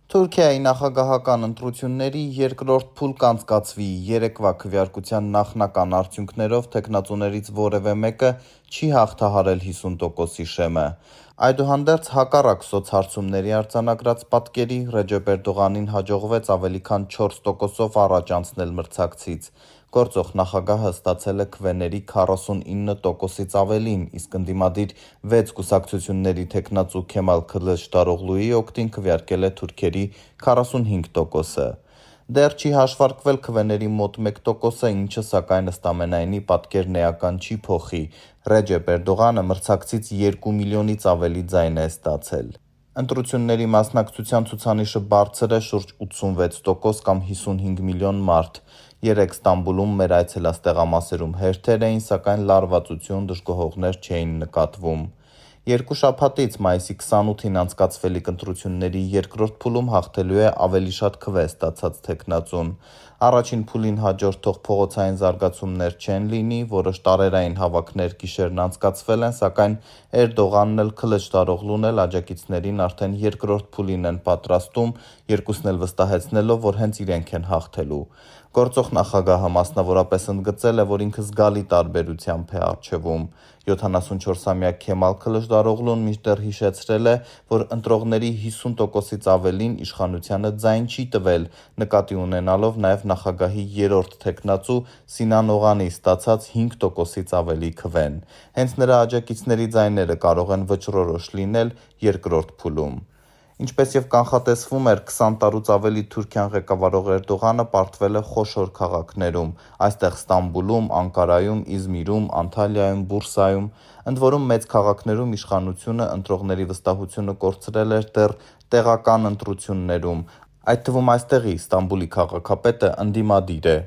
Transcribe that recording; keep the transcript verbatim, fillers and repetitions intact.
Թուրքիայի նախագահական ընտրությունների երկրորդ փուլ կանցկացվի, երեկվա քվեարկության նախնական արդյունքներով թեկնածուներից որևէ մեկը չի հաղթահարել հիսուն տոկոսի շեմը։ Այդուհանդերձ, հակառակ սոցհարցումների արձանագրած պատկերի, Ռեջեփ Էրդողանին հաջողվեց ավելի քան չորս տոկոսով առաջ անցնել մրցակցից։ Գործող նախագահը ստացել է քվեների քառասունինը տոկոսից ավելին, իսկ ընդդիմադիր վեց կուսակցությունների թեկնածու Քեմալ Քılıçdaroğluի օգտին քվեարկել է թուրքերի քառասունհինգ տոկոսը։ Դեռ չի հաշվարկվել քվեների մոտ մեկ տոկոսը, ինչը սակայն ըստամենայնի պատկերն էական չի փոխի։ Ռեջեփ Էրդողանը մրցակցից երկու միլիոնից ավելի ձայն է ստացել։ Ընտրությունների մասնակցության ցուցանիշը բարձր է՝ շուրջ ութսունվեց տոկոս կամ հիսունհինգ միլիոն մարդ։ Երեկ Ստամբուլում մեր այցելած տեղամասերում հերթեր էին, սակայն լարվածություն, դժգոհողներ չէին նկատվում։ Երկու շաբաթից՝ մայիսի քսանութին անցկացվելիք ընտրությունների երկրորդ փուլում հաղթելու է ավելի շատ քվե ստացած թեկնածուն։ Առաջին փուլին հաջորդող փողոցային զարգացումներ չեն լինի, որոշ տարերային հավաքներ գիշերն անցկացվել են, սակայն Էրդողանն էլ Քılıçdaroğlu'n էլ աջակիցներին արդեն երկրորդ փուլին են պատրաստում, երկուսն էլ վստահեցնելով, որ հենց իրենք են հաղթելու։ Գործող նախագահը մասնավորապես ընդգծել է, որ ինքը զգալի տարբերությամբ է առջևում։ յոթանասունչորսամյա Քեմալ Քılıçdaroğlu'n մինչդեռ հիշեցրել է, որ ընտրողների հիսուն տոկոսից ավելին իշխանությանը ձայն չի տվել, նկատի ունենալով նաև նախագահի երրորդ թեկնածու Սինան Օղանի ստացած հինգ տոկոսից ավելի քվեն։ Հենց նրա աջակիցների ձայները կարող են վճռորոշ լինել երկրորդ փուլում։ Ինչպես և կանխատեսվում էր, քսան տարուց ավելի Թուրքիան ղեկավարող Էրդողանը պարտվել է խոշոր քաղաքներում, այստեղ Ստամբուլում, Անկարայում, Իզմիրում, Անտալիայում, Բուրսայում, ընդ որում մեծ քաղաքներում իշխանությունը ընտրողների վստահությունը կորցրել էր դեռ տեղական ընտրություններում, այդ թվում այստեղի՝ Ստամբուլի քաղաքապետը ընդդիմադիր է։